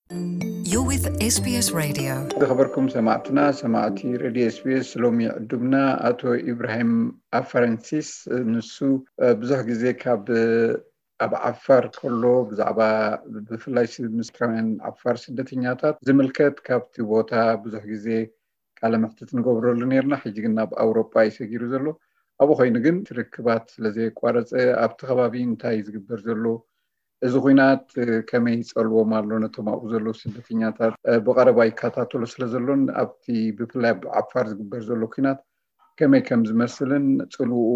You're with S B S Radio. ዝኸበርኩም ሰማዕትና፣ ሰማዕቲ ሬድዮ ኤስቢኤስ፣ ሎሚ ዕዱምና ኣቶ ኢብራሂም ኣፈረንሲስ። ንሱ ብዙሕ ግዜ ካብ ኣብ ዓፋር ከሎ ብዛዕባ ብፍላይ ምስራውያን ዓፋር ስደተኛታት ዝምልከት ካብቲ ቦታ ብዙሕ ግዜ ቃለ መሕትት ንገብረሉ ነርና። ሕጂ ግን ናብ ኣውሮጳ እዩ ሰጊሩ ዘሎ። ኣብኡ ኮይኑ ግን ትርክባት ስለዘየቋረፀ ኣብቲ ከባቢ እንታይ ዝግበር ዘሎ፣ እዚ ኩናት ከመይ ይፀልዎም ኣሎ ነቶም ኣብኡ ዘለዉ ስደተኛታት፣ ብቐረባ ይከታተሎ ስለ ዘሎን ኣብቲ ብፍላይ ኣብ ዓፋር ዝግበር ዘሎ ኩናት ከመይ ከም ዝመስልን ፅልውኡ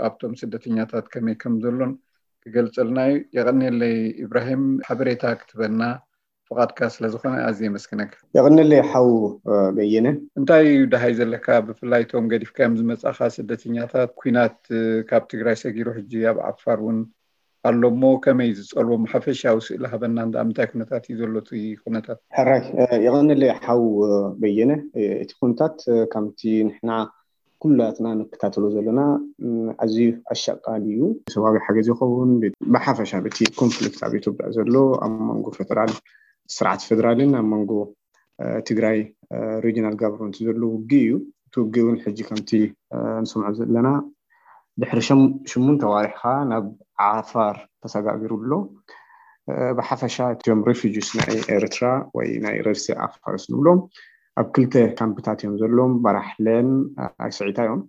ኣብቶም ስደተኛታት ከመይ ከም ዘሎን ክገልፀልና እዩ። የቐንየለይ ኢብራሂም፣ ሓበሬታ ክትበና ፍቓድካ ስለ ዝኾነ ኣዝየ የመስግነካ። የቐንየለይ ሓው በየነ። እንታይ እዩ ደሃይ ዘለካ፣ ብፍላይ እቶም ገዲፍካዮም ዝመጻኻ ስደተኛታት? ኩናት ካብ ትግራይ ሰጊሩ ሕጂ ኣብ ዓፋር እውን ኣሎ እሞ ከመይ ዝጸልዎም ሓፈሻዊ ስእሊ ሃበና። እንዳ ምንታይ ኩነታት እዩ ዘሎ እቲ ኩነታት? ሕራይ፣ የቐንየለይ ሓው በየነ። እቲ ኩነታት ከምቲ ንሕና ኩላትና ንከታተሎ ዘለና ኣዝዩ ኣሻቃሊ እዩ። ሰብኣዊ ሓገዝ ይኸውን፣ ብሓፈሻ በቲ ኮንፍሊክት ኣብ ኢትዮጵያ ዘሎ ኣብ መንጎ ፌደራል፣ ስርዓት ፌደራልን ኣብ መንጎ ትግራይ ሪጅናል ጋቨርንመንት ዘሎ ውግእ እዩ። እቲ ውግእ እውን ሕጂ ከምቲ ንሰምዖ ዘለና ድሕሪ ሽሙንተ ዋርሕኻ ናብ ዓፋር ተሰጋጊሩ ኣሎ። ብሓፈሻ እቲኦም ሪፊጂስ ናይ ኤርትራ ወይ ናይ ረድሲ ዓፋርስ ንብሎም ኣብ ክልተ ካምፕታት እዮም ዘለዎም። በራሕለን ኣስዒታ እዮም።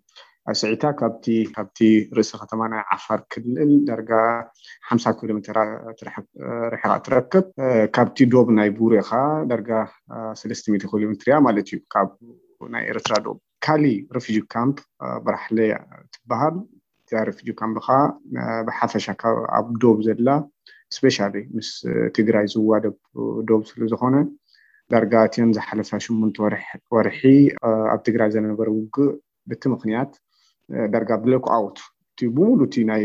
ኣስዒታ ካብቲ ካብቲ ርእሲ ከተማ ናይ ዓፋር ክልል ዳርጋ ሓምሳ ኪሎ ሜትር ርሕቃ ትረክብ። ካብቲ ዶብ ናይ ቡሬ ኸዓ ዳርጋ ሰለስተ ሚእቲ ኪሎ ሜትር እያ ማለት እዩ፣ ካብ ናይ ኤርትራ ዶብ። ካሊ ሪፊጂ ካምፕ በራሕለ ትበሃል። እዛ ሪፊጂ ካምፕ ኸዓ ብሓፈሻ ኣብ ዶብ ዘላ፣ ስፔሻሊ ምስ ትግራይ ዝዋደብ ዶብ ስለ ዝኾነ፣ ዳርጋ እቲን ዝሓለፋ ሽሙንተ ወርሒ ኣብ ትግራይ ዘነበረ ውግእ፣ በቲ ምኽንያት ዳርጋ ብሎክ ኣውት፣ እቲ ብሙሉ እቲ ናይ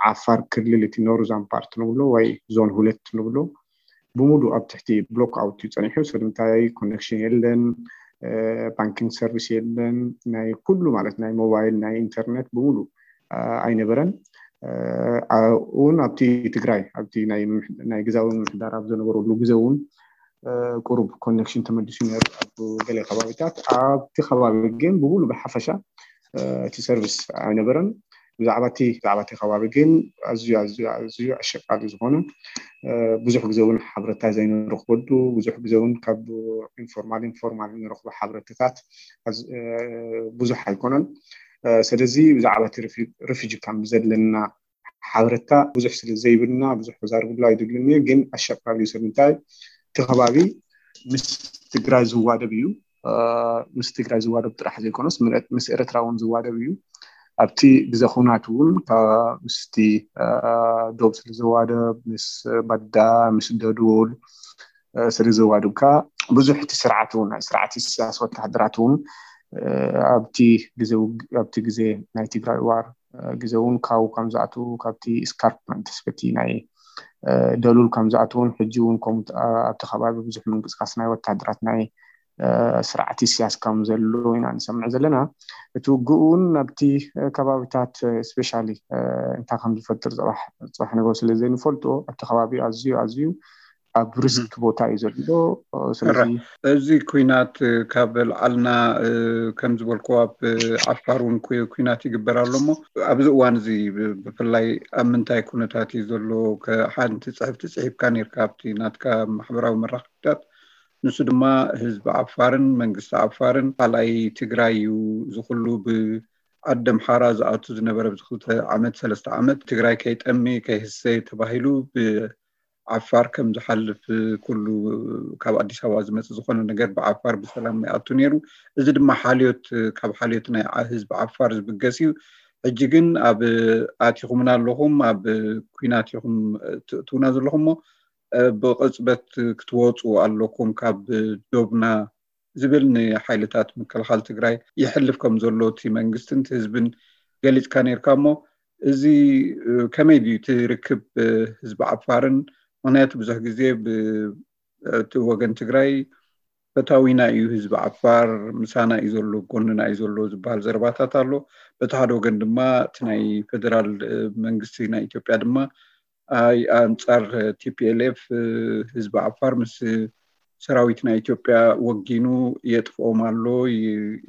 ዓፋር ክልል፣ እቲ ኖርዛን ፓርት ንብሎ ወይ ዞን ሁለት ንብሎ፣ ብሙሉ ኣብ ትሕቲ ብሎክ ኣውት እዩ ጸኒሑ። ስለምንታይ ኮኔክሽን የለን፣ ባንኪንግ ሰርቪስ የለን፣ ናይ ኩሉ ማለት ናይ ሞባይል፣ ናይ ኢንተርኔት ብሙሉ ኣይነበረን። እውን ኣብቲ ትግራይ ኣብቲ ናይ ግዛዊ ምምሕዳር ኣብ ዝነበረሉ ግዜ እውን ቁሩብ ኮኔክሽን ተመሊሱ ነይሩ ኣብ ገለ ከባቢታት። ኣብቲ ከባቢ ግን ብሙሉ ብሓፈሻ እቲ ሰርቪስ ኣይነበረን። ብዛዕባ እቲ ብዛዕባ እቲ ከባቢ ግን ኣዝዩ ኣዝዩ ኣዝዩ ኣሸቃሊ ዝኾነ፣ ብዙሕ ግዜ እውን ሓበረታ ዘይንረኽበሉ፣ ብዙሕ ግዜ እውን ካብ ኢንፎርማል ኢንፎርማል እንረኽቦ ሓበረታታት ብዙሕ ኣይኮነን። ስለዚ ብዛዕባ እቲ ሪፊጂ ካምፕ ዘለና ሓበረታ ብዙሕ ስለ ዘይብልና ብዙሕ ክዛርብሉ ኣይደልን እየ። ግን ኣሸቃሊ እዩ። ስለምንታይ እቲ ከባቢ ምስ ትግራይ ዝዋደብ እዩ። ምስ ትግራይ ዝዋደብ ጥራሕ ዘይኮነስ ምስ ኤርትራ እውን ዝዋደብ እዩ። ኣብቲ ግዜ ኩናት እውን ምስቲ ዶብ ስለ ዝዋደብ፣ ምስ ባዳ፣ ምስ ደዱል ስለ ዝዋደብ ከዓ ብዙሕ እቲ ስርዓት እውን ናይ ስርዓት ኢሳያስ ወታሃደራት እውን ኣብቲ ግዜ ውግ- ኣብቲ ግዜ ናይ ትግራይ ዋር ግዜ እውን ካብኡ ከም ዝኣትዉ፣ ካብቲ ስካርፕመንት በቲ ናይ ደሉል ከም ዝኣትዉን ሕጂ እውን ከምኡ ኣብቲ ከባቢ ብዙሕ ምንቅስቃስ ናይ ወታሃደራት ናይ ስርዓት ኢሳያስ ከም ዘሎ ኢና ንሰምዕ ዘለና። እቲ ውግእ እውን ኣብቲ ከባቢታት ስፔሻሊ እንታይ ከም ዝፈጥር ፅባሕ ፅባሕ ነገሩ ስለ ዘይንፈልጦ ኣብቲ ከባቢ ኣዝዩ ኣዝዩ ኣብ ሪስክ ቦታ እዩ ዘሎ። ስለዚ እዚ ኩናት ካብ ላዕልና ከም ዝበልኩ ኣብ ዓፋር እውን ኩ- ኩናት ይግበር ኣሎ እሞ ኣብዚ እዋን እዚ ብ- ብፍላይ ኣብ ምንታይ ኩነታት እዩ ዘሎ? ከ- ሓንቲ ፅሕፍቲ ፅሒፍካ ነርካ ኣብቲ ናትካ ማሕበራዊ መራኸብታት። ንሱ ድማ ህዝቢ ዓፋርን መንግስቲ ዓፋርን ካልኣይ ትግራይ እዩ። እዚ ኩሉ ብዓዲ ኣምሓራ ዝኣቱ ዝነበረ ብዚ ክልተ ዓመት ሰለስተ ዓመት ትግራይ ከይጠሚ ከይህሰ ተባሂሉ ብ ዓፋር ከም ዝሓልፍ ኩሉ ካብ ኣዲስ ኣበባ ዝመፅእ ዝኾነ ነገር ብዓፋር ብሰላም ይኣቱ ነይሩ። እዚ ድማ ሓልዮት ካብ ሓልዮት ናይ ዓ- ህዝቢ ዓፋር ዝብገስ እዩ። ሕጂ ግን ኣብ ኣቲኹምና ኣለኹም፣ ኣብ ኩናት ኢኹም ትእትውና ዘለኹም እሞ ብቕፅበት ክትወፁ ኣለኩም ካብ ዶብና ዝብል ንሓይልታት ምክልኻል ትግራይ ይሕልፍ ከም ዘሎ እቲ መንግስትን እቲ ህዝብን ገሊፅካ ነርካ እሞ እዚ ከመይ ድዩ እቲ ርክብ ህዝቢ ዓፋርን? ምክንያቱ ብዙሕ ግዜ እቲ ወገን ትግራይ ፈታዊና እዩ ህዝቢ ዓፋር፣ ምሳና እዩ ዘሎ፣ ጎንና እዩ ዘሎ ዝበሃል ዘረባታት ኣሎ። በቲ ሓደ ወገን ድማ እቲ ናይ ፌደራል መንግስቲ ናይ ኢትዮጵያ ድማ ኣይ ኣንፃር ቲፒኤልኤፍ ህዝቢ ዓፋር ምስ ሰራዊት ናይ ኢትዮጵያ ወጊኑ የጥፍኦም ኣሎ፣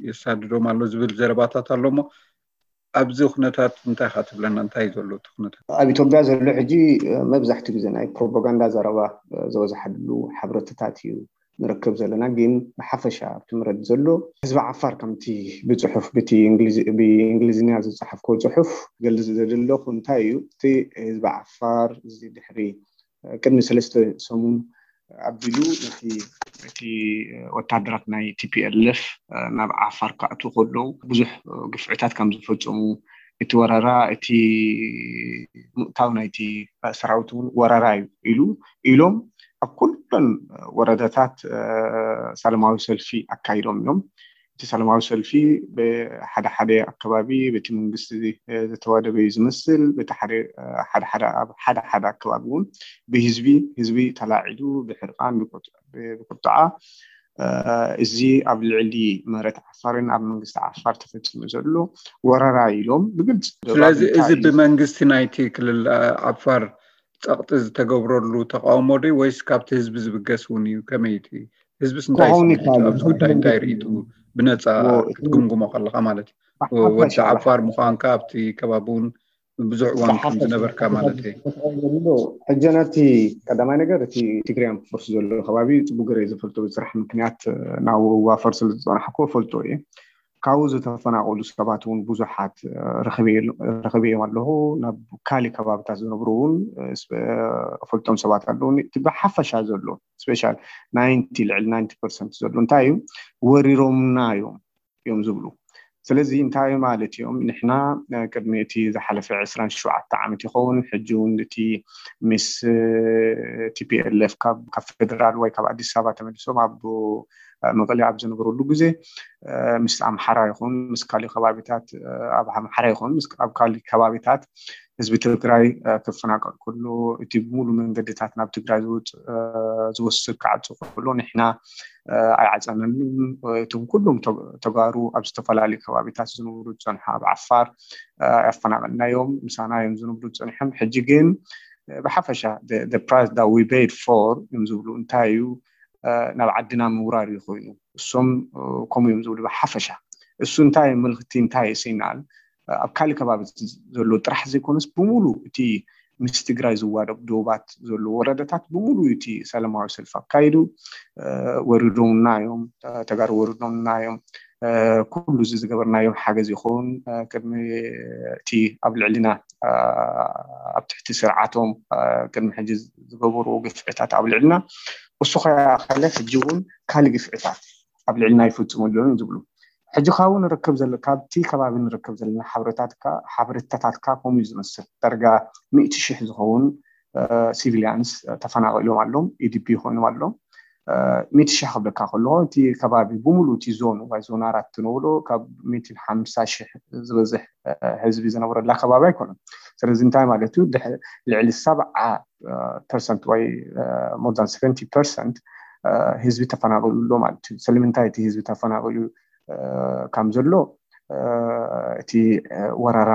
የሳድዶም ኣሎ ዝብል ዘረባታት ኣሎ። እሞ ኣብዚ ኩነታት እንታይ ኢኻ ትብለና? እንታይ እዩ ዘሎ እቲ ኩነታት? ኣብ ኢትዮጵያ ዘሎ ሕጂ መብዛሕትኡ ግዜ ናይ ፕሮፓጋንዳ ዘረባ ዝበዝሓሉ ሕብረተታት እዩ ንረክብ ዘለና። ግን ብሓፈሻ ኣብቲ ምረድ ዘሎ ህዝቢ ዓፋር ከምቲ ብፅሑፍ ብእንግሊዝኛ ዝፀሓፍኮ ፅሑፍ ክገልፅ ዘደለኹ እንታይ እዩ፣ እቲ ህዝቢ ዓፋር እዚ ድሕሪ ቅድሚ ሰለስተ ሰሙን ኣቢሉ እቲ ወታደራት ናይ ቲ ፒ ኤል ኤፍ ናብ ዓፋር ክኣትዉ ከለዉ ብዙሕ ግፍዕታት ከም ዝፈፀሙ፣ እቲ ወረራ እቲ ምእታው ናይቲ ሰራዊት እውን ወረራ እዩ ኢሉ ኢሎም ኣብ ኩለን ወረዳታት ሰላማዊ ሰልፊ ኣካይዶም እዮም። እቲ ሰላማዊ ሰልፊ ብሓደ ሓደ ኣከባቢ በቲ መንግስቲ ዝተወደበ እዩ ዝመስል። በቲ ሓደ ሓደ ሓደ ኣብ ሓደ ሓደ ኣከባቢ እውን ብህዝቢ ህዝቢ ተላዒሉ ብሕርቃን ብቁጥዓ እዚ ኣብ ልዕሊ መሬት ዓፋርን ኣብ መንግስቲ ዓፋር ተፈፂሙ ዘሎ ወረራ ኢሎም ብግልፂ ስለዚ እዚ ብመንግስቲ ናይቲ ክልል ዓፋር ፀቕጢ ዝተገብረሉ ተቃውሞ ዶ ወይስ ካብቲ ህዝቢ ዝብገስ እውን እዩ? ከመይ እቲ ህዝብስ እንታይ ስምዒቱ ኣብዚ ጉዳይ እንታይ ርእይቱ ብነፃ ክትግምግሞ ከለካ ማለት እዩ? ወዲ ዓፋር ምዃንካ ኣብቲ ከባቢ እውን ብዙሕ እዋን ከም ዝነበርካ ማለት እዩ። ሕጂ ነቲ ቀዳማይ ነገር እቲ ትግራይ ፎርስ ዘሎ ከባቢ ፅቡቅ ገይረ ዝፈልጦ ብስራሕ ምክንያት ናብ ዋፈር ስለ ዝፀናሕኩ ፈልጦ እየ። ካብኡ ዝተፈናቀሉ ሰባት እውን ብዙሓት ረኸበዮም ኣለኹ። ናብ ካሊ ከባብታት ዝነብሩ እውን ፈልጦም ሰባት ኣለዉ። እቲ ብሓፈሻ ዘሎ ስፔሻል ናይንቲ ልዕሊ ናይንቲ ፐርሰንት ዘሎ እንታይ እዩ ወሪሮምና እዮም እዮም ዝብሉ። ስለዚ እንታይ ማለት እዮም? ንሕና ቅድሚ እቲ ዝሓለፈ ዕስራን ሸውዓተ ዓመት ይኸውን ሕጂ እውን እቲ ምስ ቲ ፒ ኤል ኤፍ ካብ ፌደራል ወይ ካብ ኣዲስ ኣበባ ተመሊሶም ኣብ መቐለ ኣብ ዝነበረሉ ግዜ ምስ ኣምሓራ ይኹን ምስ ካሊ ከባቢታት ኣብ ኣምሓራ ይኹን ኣብ ካሊ ከባቢታት ህዝቢ ትግራይ ክፈናቀል ከሎ እቲ ብሙሉ መንገድታት ናብ ትግራይ ዝወስድ ክዓፁ ከሎ ንሕና ኣይዓፀናን። እቶም ኩሎም ተጋሩ ኣብ ዝተፈላለዩ ከባቢታት ዝነብሩ ዝፀንሑ ኣብ ዓፋር ኣፈናቀልናዮም ምሳና እዮም ዝነብሩ ዝፀንሖም። ሕጂ ግን ብሓፈሻ price that we paid for እዮም ዝብሉ እንታይ እዩ ናብ ዓድና ምውራር እዩ ኮይኑ እሶም ከምኡ እዮም ዝብሉ ብሓፈሻ። እሱ እንታይ ምልክቲ እንታይ ሲናል ኣብ ካልእ ከባቢ ዘሎ ጥራሕ ዘይኮነስ ብሙሉ እቲ ምስ ትግራይ ዝዋደብ ዶባት ዘሎ ወረዳታት ብሙሉ እቲ ሰላማዊ ሰልፍ ኣካይዱ ወሪዶምና እዮም፣ ተጋሩ ወሪዶምና እዮም። ኩሉ እዚ ዝገበርናዮም ሓገዝ ይኹን ቅድሚ እቲ ኣብ ልዕሊና ኣብ ትሕቲ ስርዓቶም ቅድሚ ሕጂ ዝገበርዎ ግፍዕታት ኣብ ልዕልና እሱ ከያኸለ ሕጂ እውን ካልእ ግፍዕታት ኣብ ልዕልና ይፍፅሙ ኣለዉ ዝብሉ ሕጂ ካብኡ ንረክብ ዘለ ካብቲ ከባቢ ንረክብ ዘለና ሓበሬታትካ ሓበሬታታትካ ከምኡ እዩ ዝመስል። ዳርጋ ሚእቲ ሽሕ ዝኸውን ሲቪሊያንስ ተፈናቒሎም ኣለዉ። ኢዲፒ ኮይኖም ኣለዉ። ሚእቲ ሽሕ ክብለካ ከለኹ እቲ ከባቢ ብሙሉ እቲ ዞን ወይ ዞን ኣራት ትነብሎ ካብ ሚእትን ሓምሳ ሽሕ ዝበዝሕ ህዝቢ ዝነብረላ ከባቢ ኣይኮነን። ስለዚ እንታይ ማለት እዩ? ልዕሊ ሰብዓ ፐርሰንት ወይ more than seventy percent ህዝቢ ተፈናቒሉ ኣሎ ማለት እዩ። ስለምንታይ እቲ ህዝቢ ተፈናቒሉ ከም ዘሎ እቲ ወረራ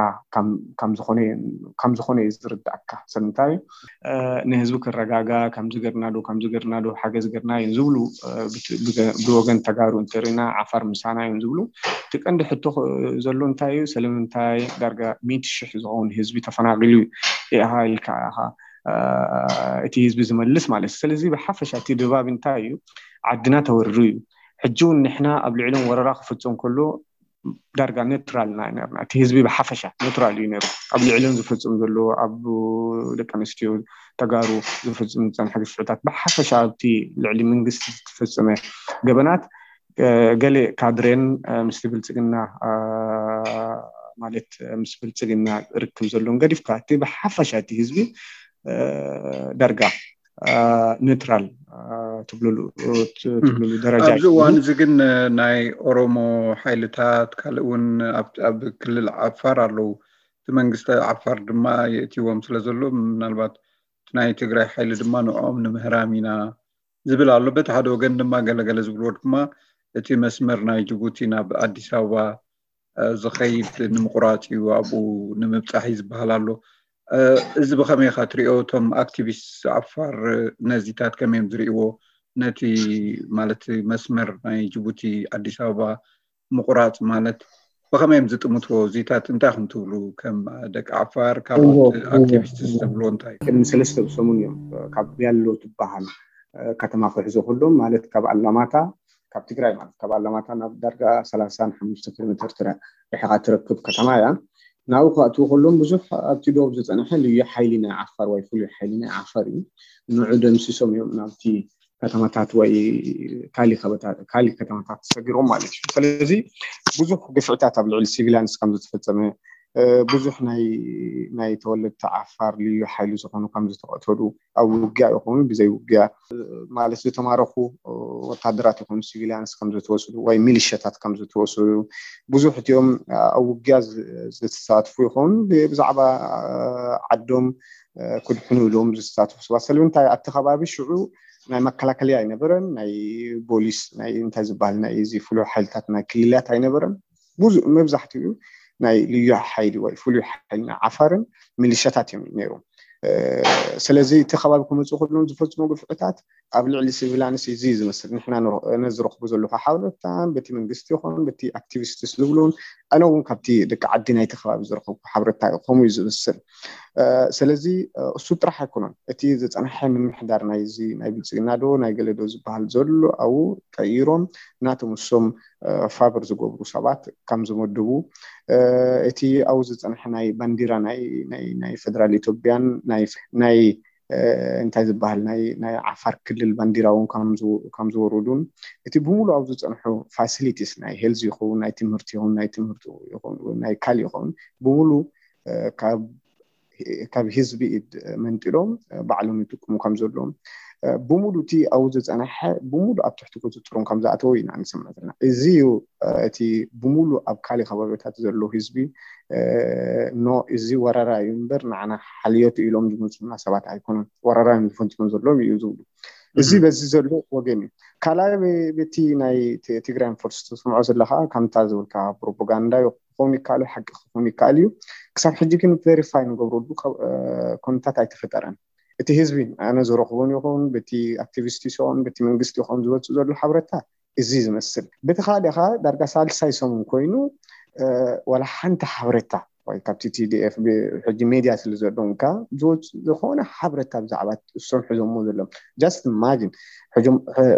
ከም ዝኾነ እዩ ዝርዳእካ። ስለምንታይ ንህዝቢ ክረጋጋ ከምዚ ገርና ዶ ከምዚ ገርና ዶ ሓገዝ ገርና እዮም ዝብሉ ብወገን ተጋሩ እንተሪና ዓፋር ምሳና እዮም ዝብሉ። እቲ ቀንዲ ሕቶ ዘሎ እንታይ እዩ? ስለምንታይ ዳርጋ ሚእቲ ሽሕ ዝኸውን ህዝቢ ተፈናቒሉ ኢኻ ኢልካ ኢኻ እቲ ህዝቢ ዝመልስ ማለት እዩ። ስለዚ ብሓፈሻ እቲ ድባብ እንታይ እዩ? ዓድና ተወሪሩ እዩ። ሕጂ እውን ንሕና ኣብ ልዕሎም ወረራ ክፍፅም ከሎ ዳርጋ ኔትራል ኢና ነርና። እቲ ህዝቢ ብሓፈሻ ኔትራል እዩ ነሩ። ኣብ ልዕሎም ዝፍፅም ዘሎ ኣብ ደቂ ኣንስትዮ ተጋሩ ዝፍፅም ዝፀንሐ ግፍዕታት ብሓፈሻ ኣብቲ ልዕሊ መንግስቲ ዝተፈፀመ ገበናት ገሌ ካድሬን ምስቲ ብልፅግና ማለት ምስ ብልፅግና ርክብ ዘለዎም ገዲፍካ እቲ ብሓፈሻ እቲ ህዝቢ ዳርጋ ኒውትራል ትብልሉ ደረጃ ኣብዚ እዋን እዚ ግን ናይ ኦሮሞ ሓይልታት ካልእ እውን ኣብ ክልል ዓፋር ኣለዉ። እቲ መንግስቲ ዓፋር ድማ የእትዎም ስለ ዘሎ ምናልባት እቲ ናይ ትግራይ ሓይሊ ድማ ንዕኦም ንምህራም ኢና ዝብል ኣሎ። በቲ ሓደ ወገን ድማ ገለገለ ዝብልዎ ድማ እቲ መስመር ናይ ጅቡቲ ናብ ኣዲስ ኣበባ ዝኸይድ ንምቁራፅ እዩ ኣብኡ ንምብፃሕ እዩ ዝበሃል ኣሎ። እዚ ብኸመይ ኢኻ ትሪኦ? እቶም ኣክቲቪስት ዓፋር ነዚታት ከመይ እዮም ዝሪእዎ? ነቲ ማለት መስመር ናይ ጅቡቲ ኣዲስ ኣበባ ምቑራፅ ማለት ብኸመይ እዮም ዝጥምትዎ? እዚታት እንታይ ኢኹም ትብሉ? ከም ደቂ ዓፋር፣ ካልኦት ኣክቲቪስት ዝብልዎ እንታይ? ቅድሚ ሰለስተ ሰሙን እዮም ካብ ያሎ ትበሃል ከተማ ክሕዞ ከሎም ማለት ካብ ኣላማታ ካብ ትግራይ ማለት ካብ ኣላማታ ናብ ዳርጋ ሰላሳን ሓሙሽተ ኪሎ ሜትር ርሕቓ ትረክብ ከተማ እያ። ናብኡ ክኣትዉ ከሎም ብዙሕ ኣብቲ ዶብ ዝፀንሐ ልዩ ሓይሊ ናይ ዓፋር ወይ ፍሉይ ሓይሊ ናይ ዓፋር እዩ። ንዑ ደምሲሶም እዮም ናብቲ ከተማታት ወይ ካሊ ከተማታት ሰጊሮም ማለት እዩ። ስለዚ ብዙሕ ግፍዕታት ኣብ ልዕሊ ሲቪላንስ ከም ዝተፈፀመ ብዙሕ ናይ ናይ ተወለድቲ ዓፋር ልዩ ሓይሊ ዝኾኑ ከም ዝተቐተሉ ኣብ ውግያ ይኹን ብዘይ ውግያ ማለት ዝተማረኹ ወታደራት ይኹኑ ሲቪሊያንስ ከም ዝተወስዱ ወይ ሚሊሽያታት ከም ዝተወስዱ ብዙሕ እቲኦም ኣብ ውግያ ዝተሳትፉ ይኹን ብዛዕባ ዓዶም ክድሕኑ ኢሎም ዝተሳትፉ ሰባት ስለምንታይ ኣብቲ ከባቢ ሽዑ ናይ መከላከልያ ኣይነበረን ናይ ቦሊስ ናይ እንታይ ዝበሃል ናይ እዚ ፍሉይ ሓይልታት ናይ ክልላት ኣይነበረን ብዙ መብዛሕትኡ ናይ ልዩ ሓይሊ ወይ ፍሉይ ሓይሊ ናይ ዓፋርን ሚሊሻታት እዮም ነይሮም ስለዚ እቲ ከባቢ ክመፅኡ ከለዎም ዝፈፅሞ ግፍዕታት ኣብ ልዕሊ ሲቪላንስ እዚ ዝመስል ንሕና ነዝረኽቡ ዘለኹ ሓበሬታን በቲ መንግስቲ ይኹን በቲ ኣክቲቪስትስ ዝብሉን ኣነ እውን ካብቲ ደቂ ዓዲ ናይቲ ከባቢ ዝረኸብኩ ሓበሬታ ከምኡ እዩ ዝመስል ስለዚ እሱ ጥራሕ ኣይኮነን እቲ ዝፀንሐ ምምሕዳር ናይዚ ናይ ብልፅግና ዶ ናይ ገለ ዶ ዝበሃል ዘሎ ኣብኡ ቀይሮም ናቶም እሶም ፋብር ዝገብሩ ሰባት ከም ዝመድቡ እቲ ኣብኡ ዝፀንሐ ናይ ባንዲራ ናይ ፌደራል ኢትዮጵያን ናይ እንታይ ዝበሃል ናይ ዓፋር ክልል ባንዲራ እውን ከም ዝወረዱን እቲ ብምሉእ ኣብ ዝፀንሑ ፋሲሊቲስ ናይ ሄልዝ ይኸውን ናይ ትምህርቲ ይኹን ናይ ትምህርቲ ናይ ካል ይኸውን ብምሉእ ካብ ህዝቢ ኢድ መንጢሎም ባዕሎም ይጥቀሙ ከም ዘለዎም ብሙሉ እቲ ኣብኡ ዝፀናሐ ብሙሉ ኣብ ትሕቲ ቁፅፅሮም ከም ዝኣተወ ኢና ንሰምዕ ዘለና እዚ እዩ እቲ ብሙሉ ኣብ ካሊ ከባቢታት ዘሎ ህዝቢ ኖ እዚ ወረራ እዩ እምበር ንዓና ሓልዮት ኢሎም ዝመፁና ሰባት ኣይኮኑን ወረራ እዮም ዝፈፅሙ ዘለዎም እዩ ዝብሉ እዚ በዚ ዘሎ ወገን እዩ ካልኣይ በቲ ናይ ትግራይ ፎርስ ተስምዖ ዘለካ ከምታ ዝብልካ ፕሮፓጋንዳ ክኸውን ይከኣል ሓቂ ክኸውን ይከኣል እዩ ክሳብ ሕጂ ግን ቬሪፋይ ንገብረሉ ኮንታት ኣይተፈጠረን እቲ ህዝቢ ኣነ ዝረኽቦን ይኹን በቲ ኣክቲቪስት ይኹን በቲ መንግስቲ ይኹን ዝወፅእ ዘሎ ሓበረታ እዚ ዝመስል በቲ ካልእኻ ዳርጋ ሳልሳይ ሰሙን ኮይኑ ዋላ ሓንቲ ሓበረታ ወይ ካብቲ ቲዲኤፍ ሕጂ ሜድያ ስለ ዘለዎም ካ ዝወፅእ ዝኾነ ሓበረታ ብዛዕባ እሶም ሕዞሞ ዘለዎም just imagine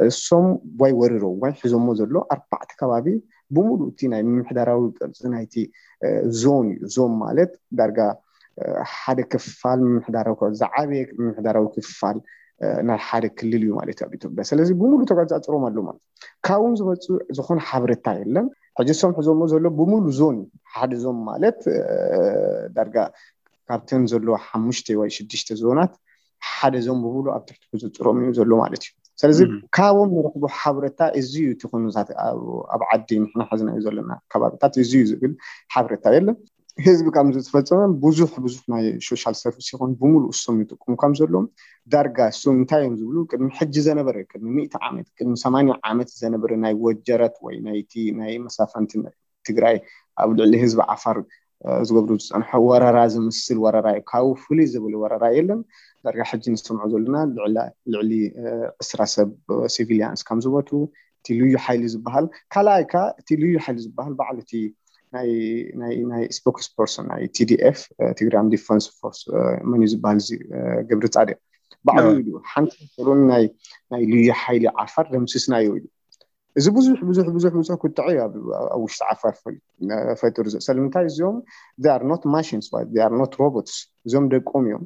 እሶም ወይ ወሪሮ ወይ ሕዞሞ ዘሎ ኣርባዕተ ከባቢ ብሙሉ እቲ ናይ ምምሕዳራዊ ቅርፂ ናይቲ ዞን እዩ ዞን ማለት ዳርጋ ሓደ ክፋል ምምሕዳራዊ ዝዓበየ ምምሕዳራዊ ክፋል ናይ ሓደ ክልል እዩ ማለት ኣብ ኢትዮጵያ ስለዚ ብሙሉ ተቆፃፅሮም ኣሎ ማለት ካብኡ ዝመፅእ ዝኾነ ሓበረታ የለን ሕጂ እሶም ሕዞሞ ዘሎ ብሙሉ ዞን እዩ ሓደ ዞን ማለት ዳርጋ ካብተን ዘለዎ ሓሙሽተ ወይ ሽዱሽተ ዞናት ሓደ ዞን ብሙሉ ኣብ ትሕቲ ቁፅፅሮም እዩ ዘሎ ማለት እዩ ስለዚ ካብኦም ንረኽቦ ሓበረታ እዚ እዩ እቲ ኩነታት ኣብ ዓዲ ንሕና ሓዝናዮ ዘለና ከባቢታት እዚ እዩ ዝብል ሓበረታ የለን ህዝቢ ካብ ዝተፈፀመ ብዙሕ ብዙሕ ናይ ሶሻል ሰርቪስ ይኹን ብምሉእ እሶም ይጥቀሙ ከም ዘለዎም ዳርጋ እሶም እንታይ እዮም ዝብሉ ቅድሚ ሕጂ ዘነበረ ቅድሚ ሚእቲ ዓመት ቅድሚ ሰማንያ ዓመት ዘነበረ ናይ ወጀረት ወይ ናይቲ ናይ መሳፈንቲ ትግራይ ኣብ ልዕሊ ህዝቢ ዓፋር ዝገብሩ ዝፀንሐ ወረራ ዝምስል ወረራ እዩ ካብኡ ፍሉይ ዝብል ወረራ የለን ዳርጋ ሕጂ ንሰምዖ ዘለና ልዕሊ ዕስራ ሰብ ሲቪሊያንስ ከም ዝሞቱ እቲ ልዩ ሓይሊ ዝበሃል ካልኣይ ካ እቲ ልዩ ሓይሊ ዝበሃል ባዕሉ እቲ ናይ ስፖክስ ፐርሶን ናይ ቲዲኤፍ ትግራን ዲፈንስ ፎርስ መን እዩ ዝበሃል እዚ ገብሪ ፃዲቅ ባዕሉ ኢሉ ሓንቲ ሩን ናይ ልዩ ሓይሊ ዓፋር ደምስስናዮ ኢሉ እዚ ብዙሕ ብዙሕ ብዙሕ ብዙሕ ቁጥዐ እዩ ኣብ ውሽጢ ዓፋር ፈጢሩ ዘሎ ስለምንታይ እዚኦም they are not machines they are not robots እዚኦም ደቆም እዮም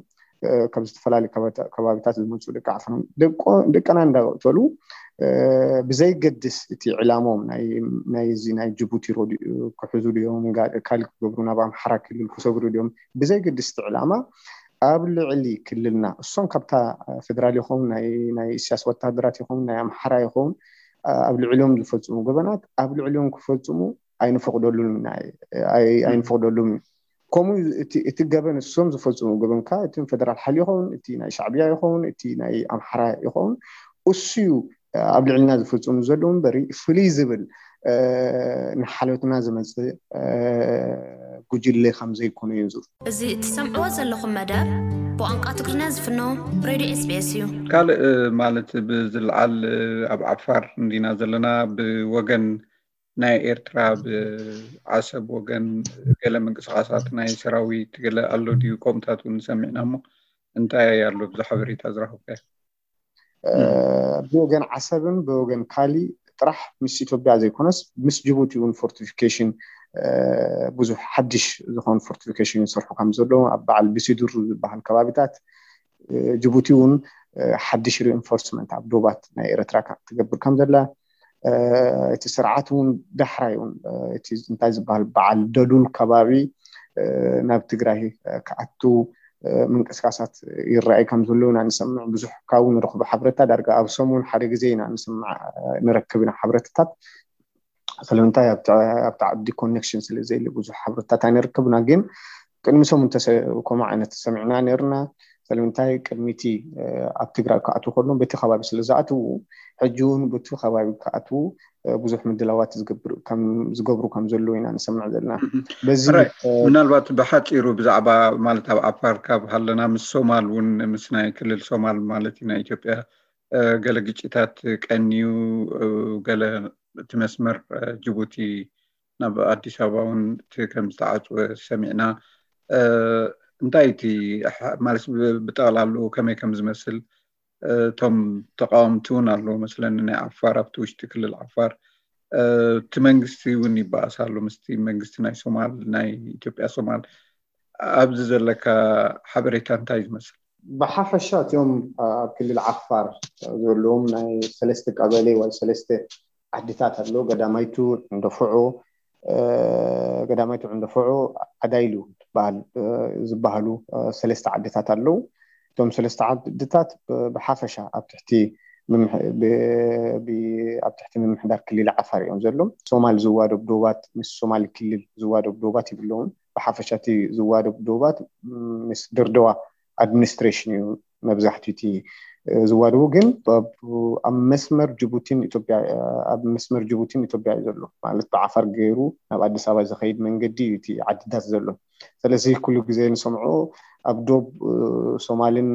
ካብ ዝተፈላለዩ ከባቢታት ዝመፁ ደቂ ዓፋር ደቀና እንዳቀተሉ ብዘይገድስ እቲ ዕላሞም ናይዚ ናይ ጅቡቲ ሮድኡ ክሕዙ ድዮም ካልእ ክገብሩ ናብ ኣምሓራ ክልል ክሰግሩ ድዮም ብዘይገድስ እቲ ዕላማ ኣብ ልዕሊ ክልልና እሶም ካብታ ፌደራል ይኸውን ናይ ኢስያስ ወታደራት ይኸውን ናይ ኣምሓራ ይኸውን ኣብ ልዕሊኦም ዝፈፅሙ ገበናት ኣብ ልዕሊኦም ክፈፅሙ ኣይንፈቅደሉን ኣይንፈቅደሉን እዩ ከምኡ እቲ ገበን እሶም ዝፈፅሙ ገበንካ እቲ ፌደራል ሓይሊ ይኸውን እቲ ናይ ሻዕብያ ይኸውን እቲ ናይ ኣምሓራ ይኸውን እሱዩ ኣብ ልዕልና ዝፈፅሙ ዘለዉ እምበሪ ፍልይ ዝብል ንሓልዮትና ዝመፅእ ጉጅለ ከም ዘይኮነ እዩ ዝር እዚ እትሰምዕዎ ዘለኹም መደብ ብቋንቋ ትግርኛ ዝፍኖ ሬድዮ ኤስቢኤስ እዩ። ካልእ ማለት ብዝለዓል ኣብ ዓፋር እንዲና ዘለና ብወገን ናይ ኤርትራ ብዓሰብ ወገን ገለ ምንቅስቃሳት ናይ ሰራዊት ገለ ኣሎ ድዩ? ከምኡታት እውን ሰሚዕና እሞ እንታይ ኣሎ ብዛ ሓበሬታ ዝረኸብካዮ? ብወገን ዓሰብን ብወገን ካሊ ጥራሕ ምስ ኢትዮጵያ ዘይኮነስ ምስ ጅቡቲ እውን ፎርቲፊኬሽን ብዙሕ ሓድሽ ዝኾኑ ፎርቲፊኬሽን ይሰርሑ ከም ዘለዉ ኣብ በዓል ብሲዱር ዝበሃል ከባቢታት ጅቡቲ እውን ሓድሽ ሪኢንፎርስመንት ኣብ ዶባት ናይ ኤረትራ ትገብር ከም ዘላ እቲ ስርዓት እውን ዳሕራይ እውን እቲ እንታይ ዝበሃል በዓል ደዱል ከባቢ ናብ ትግራይ ክኣቱ ምንቅስቃሳት ይረኣይ ከም ዘሎ ኢና ንሰምዕ። ብዙሕ ካብኡ ንረኽቦ ሓበሬታ ዳርጋ ኣብ ሰሙን ሓደ ግዜ ኢና ንሰምዕ ንረክብ ኢና ሓበሬታታት። ስለምንታይ ኣብቲ ዓዲ ኮኔክሽን ስለ ዘየለ ብዙሕ ሓበሬታታት ኣይንረክብና። ግን ቅድሚ ሰሙን ከምኡ ዓይነት ሰሚዕና ነርና። ስለምንታይ ቅድሚቲ ኣብ ትግራይ ክኣትዉ ከሎ በቲ ከባቢ ስለ ዝኣትዉ ሕጂ እውን በቲ ከባቢ ክኣትዉ ብዙሕ ምድላዋት ዝገብሩ ከም ዘለዉ ኢና ንሰምዕ ዘለና። በዚ ምናልባት ብሓፂሩ ብዛዕባ ማለት ኣብ ዓፋር ካብ ሃለና ምስ ሶማል እውን ምስ ናይ ክልል ሶማል ማለት እዩ ናይ ኢትዮጵያ ገለ ግጭታት ቀንዩ ገለ እቲ መስመር ጅቡቲ ናብ ኣዲስ ኣበባ እውን እቲ ከም ዝተዓፅወ ሰሚዕና። እንታይ እቲ ማለት ብጠቕላሉ ከመይ ከም ዝመስል እቶም ተቃወምቲ እውን ኣለዉ መስለኒ ናይ ዓፋር ኣብቲ ውሽጢ ክልል ዓፋር እቲ መንግስቲ እውን ይበኣስ ኣሎ ምስቲ መንግስቲ ናይ ሶማል ናይ ኢትዮጵያ ሶማል ኣብዚ ዘለካ ሓበሬታ እንታይ ዝመስል? ብሓፈሻ እቲኦም ኣብ ክልል ዓፋር ዘለዎም ናይ ሰለስተ ቀበሌ ወይ ሰለስተ ዓድታት ኣሎ። ገዳማይቱ ዕንደፍዑ፣ ገዳማይቱ ዕንደፍዑ፣ ዓዳይሉ ዝበሃሉ ሰለስተ ዓድታት ኣለዉ። እቶም ሰለስተ ዓድታት ብሓፈሻ ኣብ ትሕቲ ኣብ ትሕቲ ምምሕዳር ክልል ዓፋር እዮም ዘለዉ። ሶማል ዝዋደብ ዶባት ምስ ሶማል ክልል ዝዋደብ ዶባት ይብለውን ብሓፈሻ እቲ ዝዋደብ ዶባት ምስ ድርደዋ ኣድሚኒስትሬሽን እዩ መብዛሕትኡ እቲ ዝዋደቡ። ግን ኣብ መስመር ጅቡቲን ኢትዮጵያ ኣብ መስመር ጅቡቲን ኢትዮጵያ እዩ ዘሎ ማለት ብዓፋር ገይሩ ናብ ኣዲስ ኣበባ ዝኸይድ መንገዲ እዩ እቲ ዓድታት ዘሎ። ስለዚ ኩሉ ግዜ ንሰምዖ ኣብ ዶብ ሶማልን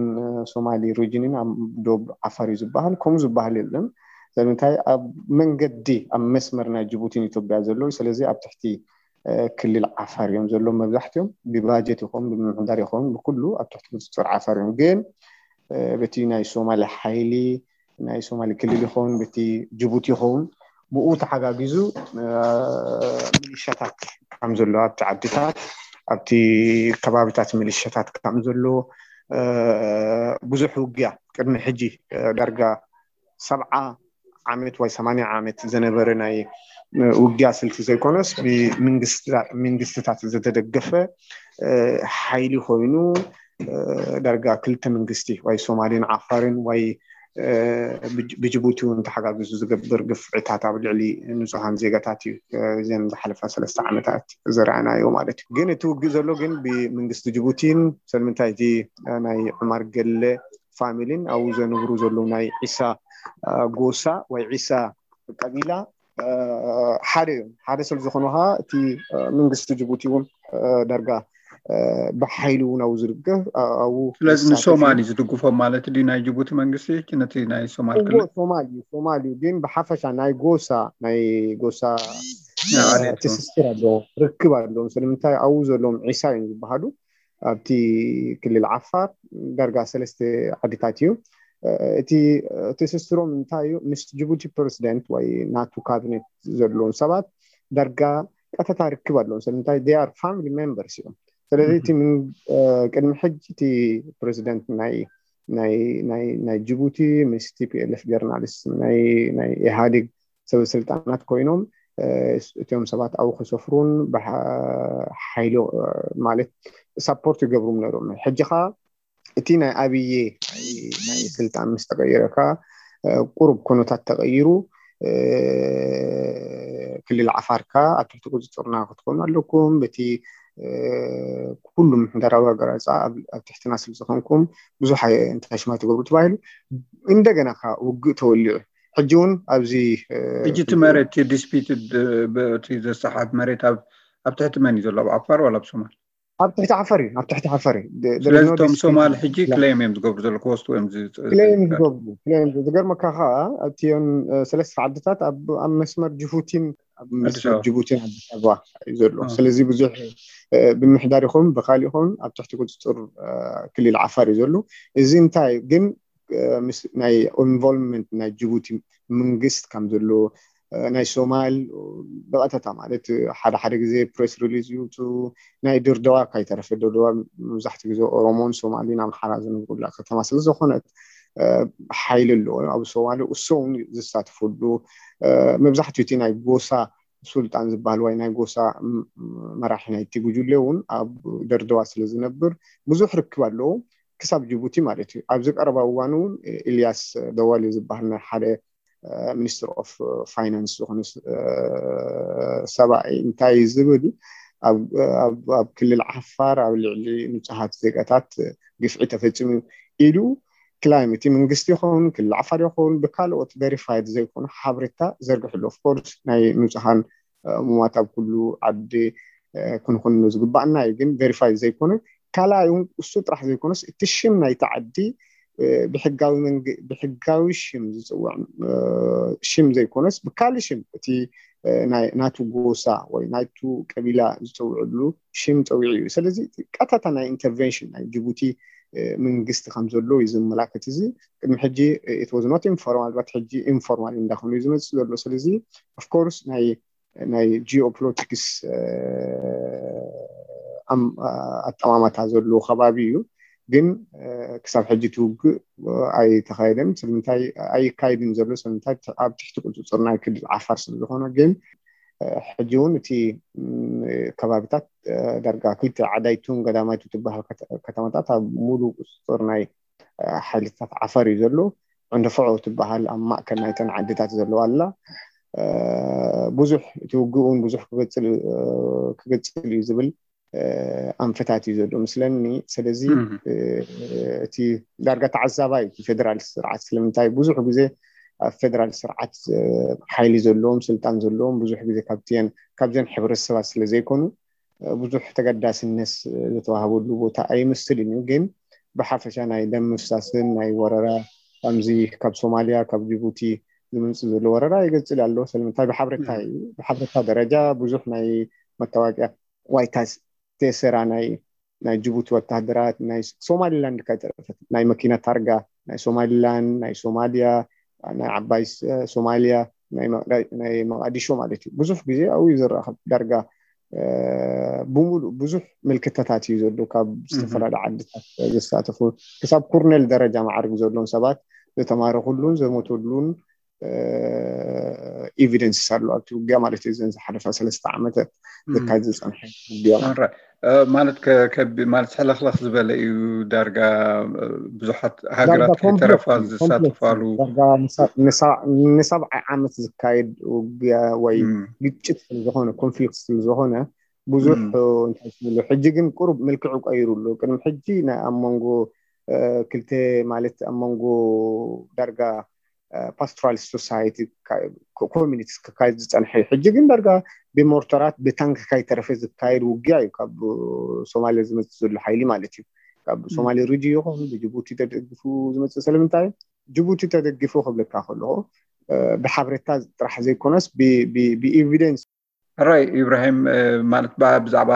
ሶማሊ ሪጅንን ኣብ ዶብ ዓፋር እዩ ዝበሃል። ከምኡ ዝበሃል የለን። ስለምንታይ ኣብ መንገዲ ኣብ መስመር ናይ ጅቡቲን ኢትዮጵያ ዘሎ ስለዚ ኣብ ትሕቲ ክልል ዓፋር እዮም ዘለዉ መብዛሕትኦም ብባጀት ይኸውን ብምምሕዳር ይኸውን ብኩሉ ኣብ ትሕቲ ቁፅፅር ዓፋር እዮም። ግን በቲ ናይ ሶማሊ ሓይሊ ናይ ሶማሊ ክልል ይኸውን በቲ ጅቡቲ ይኸውን ብኡ ተሓጋጊዙ ሚሊሻታት ከም ዘሎ ኣብቲ ዓድታት ኣብቲ ከባቢታት ሚሊሻታት ከም ዘሎ ብዙሕ ውግያ ቅድሚ ሕጂ ዳርጋ ሰብዓ ዓመት ወይ ሰማንያ ዓመት ዝነበረ ናይ ውግያ ስልቲ ዘይኮነስ ብመንግስትታት ዝተደገፈ ሓይሊ ኮይኑ ዳርጋ ክልተ መንግስቲ ወይ ሶማልን ዓፋርን ወይ ብጅቡቲ እውን ተሓጋግዙ ዝገብር ግፍዕታት ኣብ ልዕሊ ንፁሃን ዜጋታት እዩ። እዘን ዝሓለፋ ሰለስተ ዓመታት ዝረኣናዮ ማለት እዩ። ግን እቲ ውግእ ዘሎ ግን ብመንግስቲ ጅቡቲን ሰልምንታይ እቲ ናይ ዑማር ገለ ፋሚሊን ኣብኡ ዘንብሩ ዘለዉ ናይ ዒሳ ጎሳ ወይ ዒሳ ቀቢላ ሓደ እዮም። ሓደ ስለ ዝኾኑ ከዓ እቲ መንግስቲ ጅቡቲ እውን ዳርጋ ብሓይሊ እውን ኣብኡ ዝድገፍ ኣብኡ ስለዚ ንሶማል እዩ ዝድግፎም ማለት ድዩ ናይ ጅቡቲ መንግስቲ ነቲ ናይ ሶማል ክልል? ሶማል እዩ ሶማል እዩ ግን ብሓፈሻ ናይ ጎሳ ናይ ጎሳ ትስስር ኣለዎ ርክብ ኣለዎም። ስለምንታይ ኣብኡ ዘለዎም ዒሳ እዮም ዝበሃሉ ኣብቲ ክልል ዓፋር ዳርጋ ሰለስተ ዓድታት እዩ። እቲ ትስስሮም እንታይ እዩ? ምስ ጅቡቲ ፕሬዚደንት ወይ ናቱ ካቢኔት ዘለዎም ሰባት ዳርጋ ቀጥታ ርክብ ኣለዎም። ስለምንታይ they are family members እዮም። ስለዚ እቲ ቅድሚ ሕጂ እቲ ፕሬዚደንት ናይ ናይ ጅቡቲ ምስ ቲፒኤልኤፍ ጀርናሊስት ናይ ኢህኣዴግ ሰበስልጣናት ኮይኖም እቲኦም ሰባት ኣብኡ ክሰፍሩን ሓይሊ ማለት ሳፖርት ይገብሩም ነይሮም። ሕጂ ኸዓ እቲ ናይ ኣብዬ ናይ ስልጣን ምስ ተቀይረ ከዓ ቁሩብ ኩነታት ተቀይሩ ክልል ዓፋር ከዓ ኣብ ትሕቲ ቁፅፅርና ክትኮኑ ኣለኩም በቲ ኩሉ ምሕደራዊ ኣገላልፃ ኣብ ትሕትና ስለ ዝኾንኩም ብዙሕ እንታይ ሽማይ ትገብሩ ተባሂሉ እንደገና ከዓ ውግእ ተወሊዑ ሕጂ እውን ኣብዚ እ፣ ሕጂ እቲ መሬት ዲስፒትድ በቲ ዘሰሓብ መሬት ኣብ ኣብ ትሕቲ መን እዩ ዘሎ? ኣብ ዓፋር ዋላ ኣብ ሶማል? ኣብ ትሕቲ ዓፋር እዩ። ኣብ ትሕቲ ዓፋር እዩ። ደ- ደ- ስለዚ no እቶም dispute ሶማል ይባሃል። ሕጂ ክሌም እዮም ዝገብሩ ዘለዉ ክወስዱ እዮም ዝ- ክሌም ዝ- ዝገብሩ ክሌም ዝገብሩ። ዝገርመካ ከዓ ኣብቲኦን እ፣ ሰለስተ ዓድታት ኣብ ኣብ መስመር ጅቡቲን ኣብ ኣዲስ መስመር ኣበባ። ጅቡቲን ኣዲስ ኣበባ እዩ ዘሎ። እ። ስለዚ ብዙሕ እ፣ ብምሕዳር ይኹን ብካሊእ ይኹን ኣብ ትሕቲ ቁፅፅር እ፣ ክልል ዓፋር እዩ ዘሎ። እዚ እንታይ ግን እ፣ ምስ ናይ ኢንቮልቭመንት ናይ ጅቡቲ መንግስት ከም ዘሎ እ፣ ናይ ሶማል ብቐጥታ ማለት ሓደ ሓደ ግዜ ፕሬስ ሪሊዝ ይውፅኡ። ናይ ድርደዋ ካይተረፈ ድርደዋ መብዛሕትኡ ግዜ ኦሮሞን ሶማሊን ኣምሓራ ዝነብሩላ ከተማ ስለዝኾነት እ፣ ሓይሊ ኣለዎ ኣብ ሶማሊ። እሱ እውን ዝሳተፈሉ እ፣ መብዛሕትኡ እቲ ናይ ጎሳ ሱልጣን ዝበሃል ወይ ናይ ጎሳ ም- መራሒ ናይቲ ጉጅለ እውን ኣብ ደርደዋ ስለ ዝነብር ብዙሕ ርክብ ኣለዎ ክሳብ ጅቡቲ ማለት እዩ። ኣብዚ ቀረባ እዋን እውን ኢልያስ ደዋሊ ዝበሃል ናይ ሓደ ሚኒስትር ኦፍ ፋይናንስ ዝኾነ እ፣ ሰብኣይ እንታይ ዝብል ኣብ ኣብ- ኣብ ክልል ዓፋር ኣብ ልዕሊ ንጹሃት ዜጋታት ግፍዒ ተፈጺሙ ኢሉ ክላይም እቲ መንግስቲ ይኸውን ክልል ዓፋር ይኸውን ብካልኦት ቬሪፋይድ ዘይኮነ ሓበሬታ ዘርግሕሉ። ኦፍኮርስ ናይ ንጹሃን እ፣ ሙማት ኣብ ኩሉ ዓዲ እ፣ ክንኹኑ ዝግባኣና እዩ። ግን ቬሪፋይድ ዘይኮነ ካልኣይ እውን እሱ ጥራሕ ዘይኮነስ እቲ ሽም ናይቲ ዓዲ እ፣ ብሕጋዊ መንግ- ብሕጋዊ ሽም ዝፅውዕ እ፣ ሽም ዘይኮነስ ብካልእ ሽም እቲ እ፣ ናይ ናቱ ጎሳ ወይ ናቱ ቀቢላ ዝፀውዕሉ ሽም ፀዊዑ እዩ። ስለዚ ቀጥታ ናይ ኢንተርቨንሽን ናይ ጅቡቲ እ፣ መንግስቲ ከም ዘሎ እዩ ዘመላክት። እዚ ቅድሚ ሕጂ it was not informal but ሕጂ ኢንፎርማል እንዳኾነ እዩ ዝመፅእ ዘሎ። ስለዚ ኦፍኮርስ ናይ ናይ ጂኦፖለቲክስ እ፣ ኣም- ኣጠማማታ ዘለዎ ከባቢ እዩ። ግን እ፣ ክሳብ ሕጂ እቲ ውግእ እ፣ ኣይተኻየደን። ስለምንታይ ኣይካየድን ዘሎ? ስለምንታይ? ኣብ ትሕቲ ቁፅፅር ናይ ክልል ዓፋር ስለ ዝኾነ። ግን እ፣ ሕጂ እውን እቲ ም፣ ከባብታት እ፣ ዳርጋ ክልተ ዓዳይቱን ገዳማይቱ ትበሃል ከተ- ከተማታት ኣብ ሙሉእ ቁፅፅር ናይ እ፣ ሓይልታት ዓፋር እዩ ዘሎ። ዕንደፍዖ ትበሃል ኣብ ማእከል ናይተን ዓድታት ዘለዋ ኣላ። እ፣ ብዙሕ እቲ ውግእ እውን ብዙሕ ክገፅል እ፣ ክገፅል እዩ ዝብል እ፣ ኣንፈታት እዩ ዘሎ ምስለኒ። ስለዚ እም። እ፣ እቲ ዳርጋ ተዓዛባይ እቲ ፌደራል ስርዓት ስለምንታይ ብዙሕ ግዜ ኣብ ፌደራል ስርዓት እ፣ ሓይሊ ዘለዎም ስልጣን ዘለዎም ብዙሕ ግዜ ካብቲን ካብዘን ሕብረተሰባት ስለ ዘይኮኑ እ፣ ብዙሕ ተገዳስነት ዝተዋህበሉ ቦታ ኣይመስልን እዩ። ግን ብሓፈሻ ናይ ደም ምፍሳስን ናይ ወረራ ከምዚ ካብ ሶማሊያ ካብ ጅቡቲ ዝመፅእ ዘሎ ወረራ ይገፅል ኣሎ። ስለምንታይ? ብሓበሬታ እዩ። ብሓበሬታ ደረጃ ብዙሕ ናይ መታወቂያ ዋይታ ቴሰራ ናይ ናይ ጅቡቲ ወታደራት ናይ ሶማሊላንድ ካይተረፈት ናይ መኪና ታርጋ ናይ ሶማሊላንድ ናይ ሶማሊያ ናይ ዓባይ ስ- ሶማሊያ ናይ መቅዳ- ናይ መቃዲሾ ማለት እዩ። ብዙሕ ግዜ ኣብኡ እዩ ዝረኸብ ዳርጋ እ፣ ብሙሉእ ብዙሕ ምልክታታት እዩ ዘሎ ካብ ዝተፈላለዩ ዓድታት ዝሳተፉ ክሳብ ኩርኔል ደረጃ ማዕርግ ዘለዎም ሰባት ዝተማረኩሉን ዘሞተሉን ኤቪደንስ ኣሎ ኣብቲ ውግያ ማለት እዩ። እዘን ዝሓለፋ ሰለስተ ዓመታት ዝካየድ ዝፀንሐ ውግያ ማለት ኦራይት። እ፣ ማለት ከ- ከቢ ማለት ሕልኽልኽ ዝበለ እዩ ዳርጋ እ፣ ብዙሓት ሃገራት ዳርጋ ኮምፕሌክስ ከይተረፋ እዩ፣ ዝሳተፋሉ ኮምፕሌክስ እዩ። ዳርጋ ንሳ- ንሳ- ንሰብዓይ ዓመት ዝካየድ ውግያ ወይ እም፣ ግጭት ስለዝኾነ ኮንፍሊክት ስለዝኾነ ብዙሕ እም፣ እ፣ እንታይ ትብሎ ሕጂ ግን ቁሩብ መልክዑ ቀይሩ ኣሎ። ቅድሚ ሕጂ ናይ ኣብ መንጎ እ፣ ክልተ ማለት ኣብ መንጎ ዳርጋ ፓስቶራል ሶሳይቲ ኮሚኒቲ ክካየድ ዝፀንሐ እዩ። ሕጂ ግን ዳርጋ ብሞርተራት ብታንክ ካይተረፈ ዝካየድ ውግያ እዩ ካብ ሶማሊያ ዝመፅእ ዘሎ ሓይሊ ማለት እዩ። ካብ ሶማሊ ሪጂ ይኹን ብጅቡቲ ተደግፉ ዝመፅእ ስለምንታይ ጅቡቲ ተደግፉ ክብለካ ከለኹ እ፣ ብሓበሬታ ጥራሕ ዘይኮነስ ብ- ብ- ብኤቪደንስ ራይ ኢብራሂም እ፣ ማለት ባ- ብዛዕባ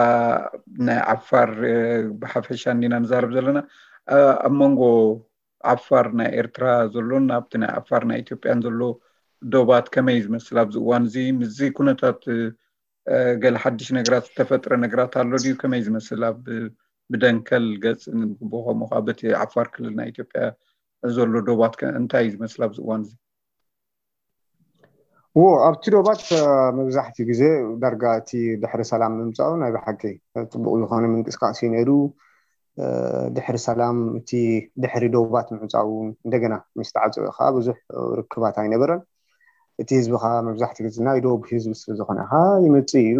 ናይ ዓፋር እ፣ ብሓፈሻ እንዲና ንዛረብ ዘለና እ፣ ኣብ መንጎ ዓፋር ናይ ኤርትራ ዘሎን ኣብቲ ናይ ዓፋር ናይ ኢትዮጵያን ዘሎ ዶባት ከመይ ዝመስል ኣብዚ እዋን እዚ ምስዚ ኩነታት እ፣ እ፣ ገለ ሓድሽ ነገራት ዝተፈጥረ ነገራት ኣሎ ድዩ? ከመይ ዝመስል ኣብ ብደንከል ገጽ ንብቦ ከምኡ ከዓ በቲ ዓፋር ክልል ናይ ኢትዮጵያ ዘሎ ዶባት ከ እንታይ እዩ ዝመስል ኣብዚ እዋን እዚ? ዎ ኣብቲ ዶባት እ፣ መብዛሕትኡ ግዜ ዳርጋ እቲ ድሕሪ ሰላም ምምፃኡ ናይ ብሓቂ ፅቡቅ ዝኾነ ምንቅስቃስ እዩ ነይሩ። እ፣ ድሕሪ ሰላም እቲ ድሕሪ ዶባት ምዕፃው እንደገና ምስ ተዓፀወ ከዓ ብዙሕ ርክባት ኣይነበረን። እቲ ህዝቢ ከዓ መብዛሕትኡ ግዜ ናይ ዶብ ህዝቢ ስለ ዝኾነ ከዓ ይመፅእ እዩ።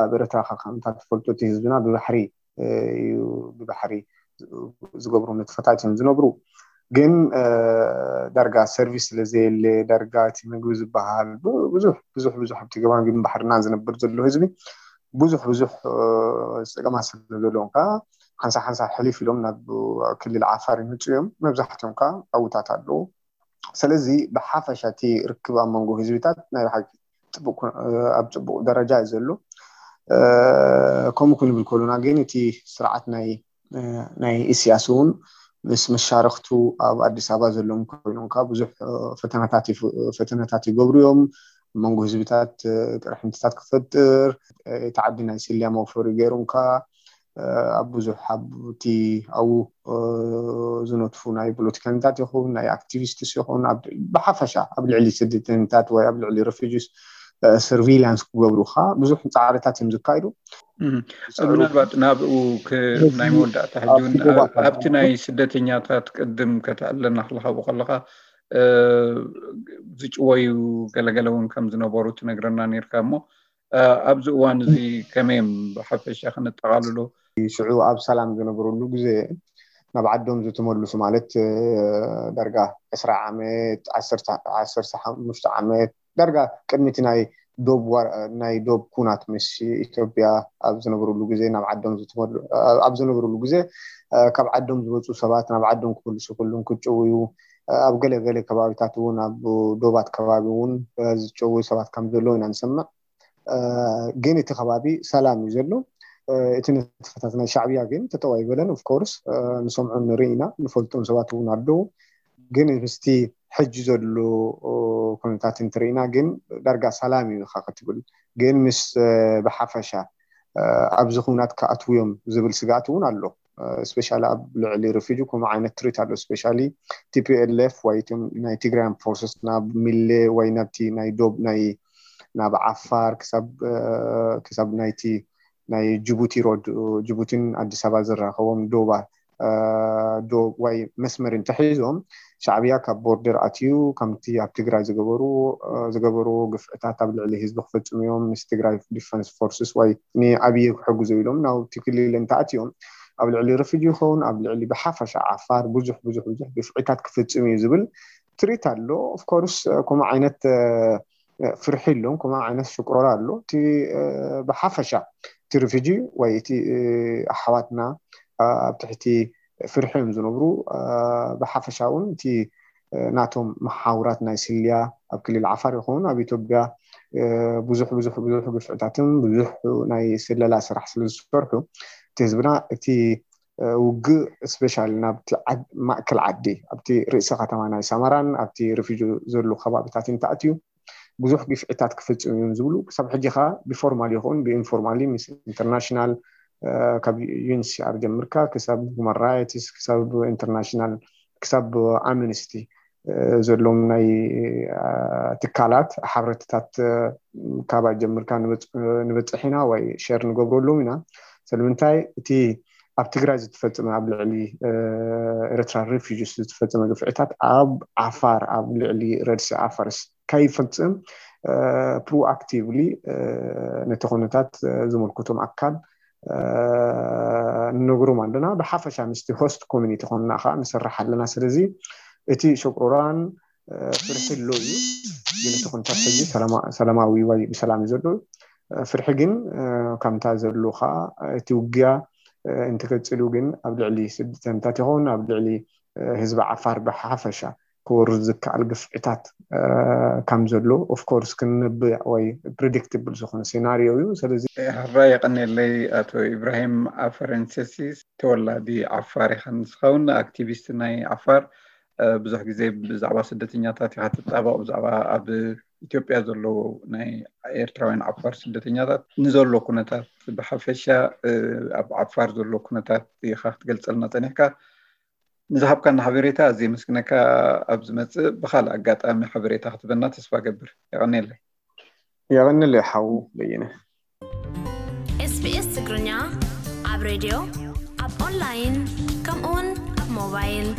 ኣብ ኤርትራ ከዓ ከምታ ትፈልጦ እቲ ህዝብና ብባሕሪ እ፣ እዩ ብባሕሪ ዝገብሩ ንጥፈታት እዮም ዝነብሩ። ግን ዳርጋ ሰርቪስ ስለዘየለ፣ ዳርጋ እቲ ምግቢ ዝበሃል ብዙሕ ብዙሕ ብዙሕ ኣብቲ ገማግም ባሕርና ዝነብር ዘሎ ህዝቢ ብዙሕ ብዙሕ ፀገማት ስለ ዘለዎም ከዓ ሓንሳ ሓንሳ ሕሊፍ ኢሎም ናብ ክልል ዓፋር ይመፁ እዮም። መብዛሕትኦም ከዓ ኣብታት ኣለዉ። ስለዚ ብሓፈሻ እቲ ርክብ ኣብ መንጎ ህዝብታት ናይ ብሓቂ ኣብ ፅቡቅ ደረጃ እዩ ዘሎ። ከምኡ ክንብል ከሉና ግን እቲ ስርዓት ናይ ናይ ኢስያስ እውን ምስ መሻርክቱ ኣብ ኣዲስ ኣበባ ዘለዎም ኮይኖም ከዓ ብዙሕ ፈተናታት ፈተናታት ይገብሩ እዮም። መንጎ ህዝብታት ቅርሕንትታት ክፈጥር፣ እቲ ዓዲ ናይ ስልያ መውፈሪ ገይሮም ከዓ ኣብ ብዙሕ ኣብቲ ኣብኡ ዝነጥፉ ናይ ፖለቲከኛታት ይኹን ናይ ኣክቲቪስትስ ይኹን ብሓፈሻ ኣብ ልዕሊ ስደተኛታት ወይ ኣብ ልዕሊ ሬፊጂስ ሰርቪላንስ ክገብሩ ከዓ ብዙሕ ፃዕርታት እዮም ዝካይዱ። ምናልባት ናብኡ ናይ መወዳእታ ሕጂ ኣብቲ ናይ ስደተኛታት ቅድም ከተዕለና ክልካቡ ከለካ ዝጭወዩ ገለገለ እውን ከም ዝነበሩ ትነግረና ነርካ እሞ ኣብዚ እዋን እዚ ከመይ እዮም ብሓፈሻ ክነጠቃልሎ? ሽዑ ኣብ ሰላም ዝነበረሉ ግዜ ናብ ዓዶም ዝተመልሱ ማለት ዳርጋ ዕስራ ዓመት ዓሰርተ ሓሙሽተ ዓመት ዳርጋ ቅድሚ እቲ ናይ ዶብ ናይ ዶብ ኩናት ምስ ኢትዮጵያ ኣብ ዝነበሩሉ ግዜ ናብ ዓዶም ዝተመሉ ኣብ ዝነበሩሉ ግዜ ካብ ዓዶም ዝወፁ ሰባት ናብ ዓዶም ክምልሱ ኩሉም ክጭውዩ ኣብ ገለ ገለ ከባቢታት እውን ኣብ ዶባት ከባቢ እውን ዝጨውዩ ሰባት ከም ዘለዉ ኢና ንሰምዕ። ግን እቲ ከባቢ ሰላም እዩ ዘሎ። እቲ ንጥፈታት ናይ ሻዕብያ ግን ተጠዋይ በለን ኦፍኮርስ ንሰምዖ ንርኢ ኢና፣ ንፈልጦም ሰባት እውን ኣለዉ። ግን ምስቲ ሕጂ ዘሎ ኩነታት እንትርኢና ግን ዳርጋ ሰላም እዩ ኢኻ ክትብል ግን ምስ ብሓፈሻ ኣብዚ ኩናት ክኣትዉ እዮም ዝብል ስግኣት እውን ኣሎ። ስፔሻሊ ኣብ ልዕሊ ሪፊጂ ከምኡ ዓይነት ትሪት ኣሎ። ስፔሻሊ ቲፒኤልኤፍ ወይ እቶም ናይ ትግራይ ፎርስስ ናብ ሚሌ ወይ ናብቲ ናይ ዶብ ናይ ናብ ዓፋር ክሳብ ክሳብ ናይቲ ናይ ጅቡቲ ሮድ ጅቡቲን ኣዲስ ኣበባ ዝራኸቦም ዶባ ዶ ወይ መስመር እንተሒዞም ሻዕብያ ካብ ቦርደር ኣትዩ ከምቲ ኣብ ትግራይ ዝገበሩ ዝገበሩ ግፍዕታት ኣብ ልዕሊ ህዝቢ ክፈፅሙ እዮም። ምስ ትግራይ ዲፈንስ ፎርስስ ወይ ንኣብየ ክሕግዙ ኢሎም ናብቲ ክልል እንተኣትዮም ኣብ ልዕሊ ርፍጅ ይኸውን ኣብ ልዕሊ ብሓፈሻ ዓፋር ብዙሕ ብዙሕ ብዙሕ ግፍዕታት ክፍፅም እዩ ዝብል ትሪት ኣሎ። ኦፍኮርስ ከምኡ ዓይነት ፍርሒ ኣለዎም። ከምኡ ዓይነት ሽቅሮራ ኣሎ። እቲ ብሓፈሻ እቲ ሪፊጂ ወይ እቲ ኣሕዋትና ኣብ ትሕቲ ፍርሒ እዮም ዝነብሩ። ብሓፈሻ እውን እቲ ናቶም መሓውራት ናይ ስልያ ኣብ ክልል ዓፋር ይኸውን ኣብ ኢትዮጵያ ብዙሕ ብዙሕ ብዙሕ ግፍዕታትን ብዙሕ ናይ ስለላ ስራሕ ስለ ዝሰርሑ እቲ ህዝብና እቲ ውግእ ስፔሻሊ ናብቲ ማእከል ዓዲ ኣብቲ ርእሲ ከተማ ናይ ሰመራን ኣብቲ ሪፊጂ ዘሉ ከባቢታት እንተኣትዩ ብዙሕ ግፍዕታት ክፍፅም እዮም ዝብሉ ክሳብ ሕጂ ከዓ ብፎርማል ይኹን ብኢንፎርማሊ ምስ ኢንተርናሽናል ካብ ዩንሲኣር ጀምርካ ክሳብ ሁማን ራይትስ ክሳብ ኢንተርናሽናል ክሳብ ኣምንስቲ ዘሎም ናይ ትካላት ሓብረትታት ካባይ ጀምርካ ንበፅሕ ኢና ወይ ሸር ንገብረሎም ኢና። ስለምንታይ እቲ ኣብ ትግራይ ዝተፈፀመ ኣብ ልዕሊ ኤርትራ ሪፊጅስ ዝተፈፀመ ግፍዕታት ኣብ ዓፋር ኣብ ልዕሊ ረድሲ ዓፋርስ ከይፈፅም ፕሮኣክቲቭሊ ነቲ ኩነታት ዝመልከቶም ኣካል ንነግሮም ኣለና። ብሓፈሻ ምስቲ ሆስት ኮሚኒቲ ኮንና ከዓ ንሰርሕ ኣለና። ስለዚ እቲ ሸቁራን ፍርሒ ኣሎ እዩ። ግን እቲ ኩነታት ሕጂ ሰላማዊ ወይ ብሰላም እዩ ዘሎ። ፍርሒ ግን ከምታ ዘሎ ከዓ እቲ ውግያ እንትቀፅሉ ግን ኣብ ልዕሊ ስደተኛታት ይኸውን ኣብ ልዕሊ ህዝቢ ዓፋር ብሓፈሻ ክወርድ ዝከኣል ግፍዕታት ከም ዘሎ ኦፍኮርስ ክንብዕ ወይ ፕሪዲክትብል ዝኾነ ሴናሪዮ እዩ። ስለዚ ሕራይ የቀንየለይ ኣቶ ኢብራሂም ኣፈረንሰሲ ተወላዲ ዓፋር ኢኻ ንስኻውን ኣክቲቪስት ናይ ዓፋር ብዙሕ ግዜ ብዛዕባ ስደተኛታት ኢኻ ትጣበቕ ብዛዕባ ኣብ ኢትዮጵያ ዘለዉ ናይ ኤርትራውያን ዓፋር ስደተኛታት ንዘሎ ኩነታት ብሓፈሻ ኣብ ዓፋር ዘሎ ኩነታት ኢኻ ክትገልፀልና ፀኒሕካ። ንዝሃብካና ሓበሬታ ኣዝየ የመስግነካ። ኣብ ዝመፅእ ብካልእ ኣጋጣሚ ሓበሬታ ክትበና ተስፋ ገብር። የቐንየለይ። የቐንየለይ ሓው በየነ። ኤስቢኤስ ትግርኛ ኣብ ሬድዮ፣ ኣብ ኦንላይን፣ ከምኡውን ኣብ ሞባይል።